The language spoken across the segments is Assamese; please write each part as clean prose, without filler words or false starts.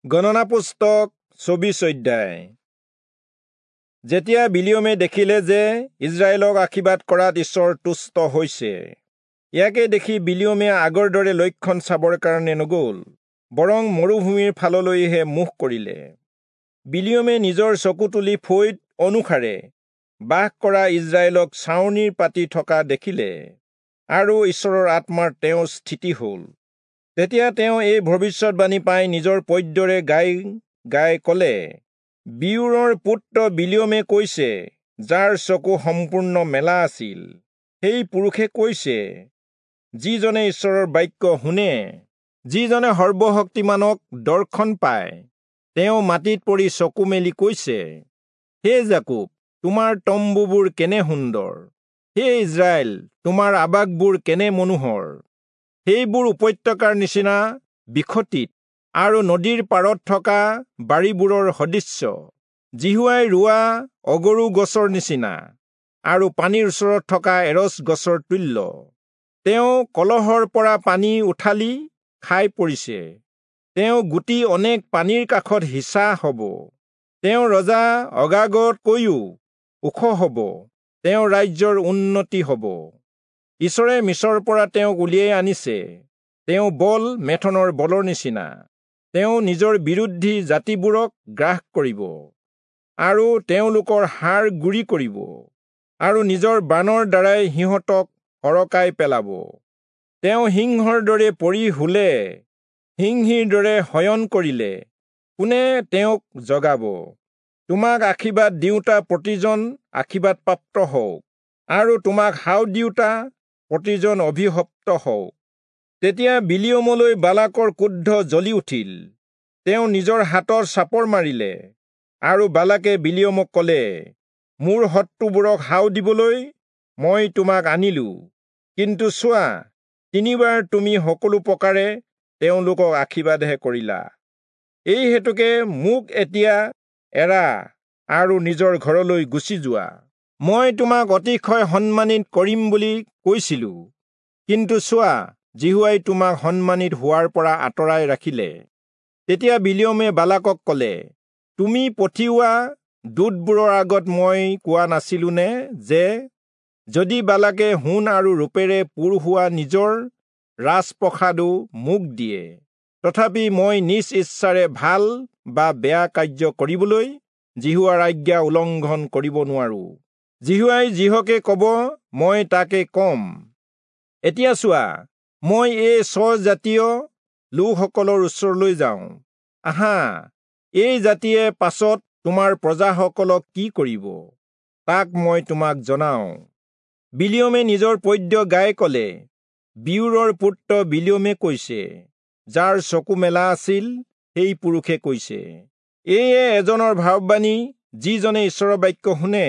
গণনা পুস্তক 24 অধ্যায়। যেতিয়া বিলিয়মে দেখিলে যে ইজৰাইলক আশীৰ্বাদ কৰাত ঈশ্বৰ তুষ্ট হৈছে, ইয়াকে দেখি বিলিয়মে আগৰ দৰে লক্ষণ চাবৰ কাৰণে নগ'ল, বৰং মৰুভূমিৰ ফাললৈহে মুখ কৰিলে। বিলিয়মে নিজৰ চকু তুলি ফৈদ অনুসাৰে বাস কৰা ইজৰাইলক ছাউনিৰ পাতি থকা দেখিলে, আৰু ঈশ্বৰৰ আত্মাৰ তেওঁৰ স্থিতি হ'ল। তেতিয়া তেওঁ এই ভৱিষ্যতবাণী পাই নিজৰ পদ্যৰে গাই গাই ক'লে, বিয়োৰৰ পুত্ৰ বিলিয়মে কৈছে, যাৰ চকু সম্পূৰ্ণ মেলা আছিল, সেই পুৰুষে কৈছে, যিজনে ঈশ্বৰৰ বাক্য শুনে, যিজনে সৰ্বশক্তিমানক দৰ্শন পায়, তেওঁ মাটিত পৰি চকু মেলি কৈছে, হে যাকোব, তোমাৰ তম্বুবোৰ কেনে সুন্দৰ! হে ইজৰাইল, তোমাৰ আৱাসবোৰ কেনে মনোহৰ! সেইবোৰ উপত্যকাৰ নিচিনা বিখতিত আৰু নদীৰ পাৰত থকা বাৰীবোৰৰ সদৃশ্য, যিহোৱাই ৰোৱা অগৰু গছৰ নিচিনা আৰু পানীৰ ওচৰত থকা এৰচ গছৰ তুল্য। তেওঁ কলহৰ পৰা পানী উঠালি খাই পৰিছে, তেওঁ গুটি অনেক পানীৰ কাষত সিঁচা হ'ব। তেওঁ ৰজা অগাগতকৈও ওখ হ'ব, তেওঁৰ ৰাজ্যৰ উন্নতি হ'ব। ঈশ্বৰে মিছৰৰ পৰা তেওঁক উলিয়াই আনিছে, তেওঁ বল মেথনৰ বলৰ নিচিনা। তেওঁ নিজৰ বিৰোধী জাতিবোৰক গ্ৰাস কৰিব আৰু তেওঁলোকৰ হাড় গুৰি কৰিব, আৰু নিজৰ বাণৰ দ্বাৰাই সিহঁতক সৰকাই পেলাব। তেওঁ সিংহৰ দৰে পৰি শুলে, সিংহীৰ দৰে শয়ন কৰিলে, কোনে তেওঁক জগাব? তোমাক আশীৰ্বাদ দিওঁতা প্ৰতিজন আশীৰ্বাদপ্ৰাপ্ত হওক, আৰু তোমাক শাও দিওঁতা প্ৰতিজন অভিশপ্ত হওক। তেতিয়া বিলিয়মলৈ বালাকৰ ক্ৰোধ জ্বলি উঠিল, তেওঁ নিজৰ হাতত চাপৰ মাৰিলে, আৰু বালাকে বিলিয়মক ক'লে, মোৰ শত্ৰুবোৰক শাও দিবলৈ মই তোমাক আনিলো, কিন্তু চোৱা, তিনিবাৰ তুমি সকলো প্ৰকাৰে তেওঁলোকক আশীৰ্বাদহে কৰিলা। এই হেতুকে মোক এতিয়া এৰা আৰু নিজৰ ঘৰলৈ গুচি যোৱা। মই তোমাক অতিশয় সন্মানিত কৰিম বুলি কৈছিলো, কিন্তু চোৱা, যিহোৱাই তোমাক সন্মানিত হোৱাৰ পৰা আঁতৰাই ৰাখিলে। তেতিয়া বিলিয়মে বালাকক ক'লে, তুমি পঠিওৱা দূতবোৰৰ আগত মই কোৱা নাছিলোনে যে, যদি বালাকে সোণ আৰু ৰূপেৰে পূৰ হোৱা নিজৰ ৰাজপ্ৰসাদো মোক দিয়ে, তথাপি মই নিজ ইচ্ছাৰে ভাল বা বেয়া কাৰ্য কৰিবলৈ যিহোৱাৰ আজ্ঞা উলংঘন কৰিব নোৱাৰো। যিহোৱাই যিহকে ক'ব মই তাকে কম। এতিয়া চোৱা, মই এই স্বজাতীয় লোকসকলৰ ওচৰলৈ যাওঁ। আহা, এই জাতিয়ে পাছত তোমাৰ প্ৰজাসকলক কি কৰিব, তাক মই তোমাক জনাওঁ। বিলিয়মে নিজৰ পদ্য গাই ক'লে, বিয়োৰৰ পুত্ৰ বিলিয়মে কৈছে, যাৰ চকু মেলা আছিল, সেই পুৰুষে কৈছে, এয়ে এজনৰ ভাৱবাণী, যিজনে ঈশ্বৰৰ বাক্য শুনে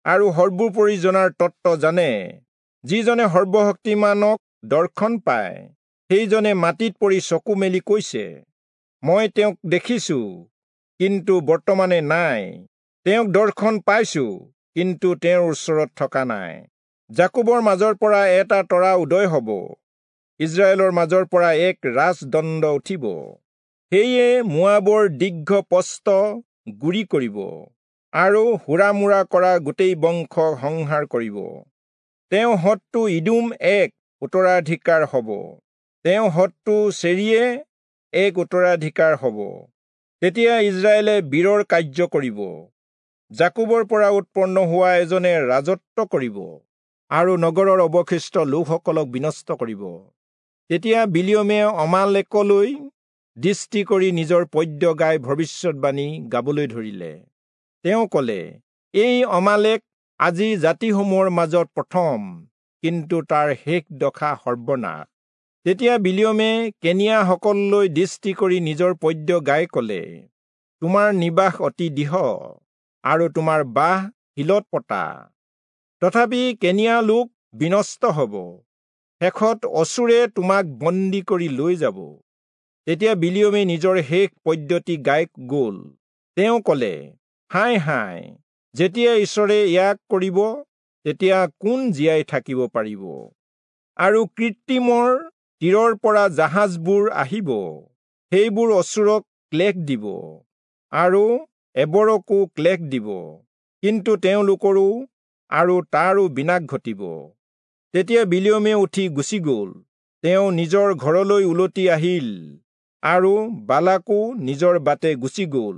আৰু সৰ্বোপৰি জনাৰ তত্ত্ব জানে, যিজনে সৰ্বশক্তিমানক দৰ্শন পায়, সেইজনে মাটিত পৰি চকু মেলি কৈছে, মই তেওঁক দেখিছো, কিন্তু বৰ্তমানে নাই, তেওঁক দৰ্শন পাইছো, কিন্তু তেওঁৰ ওচৰত থকা নাই। যাকোবৰ মাজৰ পৰা এটা তৰা উদয় হ'ব, ইজৰাইলৰ মাজৰ পৰা এক ৰাজদণ্ড উঠিব, সেয়ে মোৱাবৰ দীৰ্ঘ প্ৰস্থ গুৰি কৰিব আৰু হুৰামুৰা কৰা গোটেই বংশক সংহাৰ কৰিব। তেওঁ শত্ৰু ইদোম এক উত্তৰাধিকাৰ হ'ব, তেওঁ শত্ৰু চেৰিয়ে এক উত্তৰাধিকাৰ হ'ব। তেতিয়া ইজৰাইলে বীৰৰ কাৰ্য কৰিব, যাকোবৰ পৰা উৎপন্ন হোৱা এজনে ৰাজত্ব কৰিব আৰু নগৰৰ অৱশিষ্ট লোকসকলক বিনষ্ট কৰিব। তেতিয়া বিলিয়মে অমালেকলৈ দৃষ্টি কৰি নিজৰ পদ্য গাই ভৱিষ্যতবাণী গাবলৈ ধৰিলে। তেওঁ ক'লে, এই অমালেক আজি জাতিসমূহৰ মাজত প্ৰথম, কিন্তু তাৰ শেষ দশা সৰ্বনাশ। তেতিয়া বিলিয়মে কেনিয়াসকললৈ দৃষ্টি কৰি নিজৰ পদ্য গাই ক'লে, তোমাৰ নিবাস অতি দৃঢ় আৰু তোমাৰ বাহ শিলত পতা, তথাপি কেনিয়া লোক বিনষ্ট হ'ব, শেষত অচূৰে তোমাক বন্দী কৰি লৈ যাব। তেতিয়া বিলিয়মে নিজৰ শেষ পদ্যটি গাই গ'ল। তেওঁ ক'লে, হায় হায়, যেতিয়া ঈশ্বৰে ইয়াক কৰিব, তেতিয়া কোন জীয়াই থাকিব পাৰিব? আৰু কৃত্ৰিমৰ তীৰৰ পৰা জাহাজবোৰ আহিব, সেইবোৰ অচূৰক ক্লেশ দিব আৰু এবৰকো ক্লেশ দিব, কিন্তু তেওঁলোকৰো আৰু তাৰো বিনাশ ঘটিব। তেতিয়া বিলিয়মে উঠি গুচি গ'ল। তেওঁ নিজৰ ঘৰলৈ উলটি আহিল আৰু বালাকো নিজৰ বাটে গুচি গ'ল।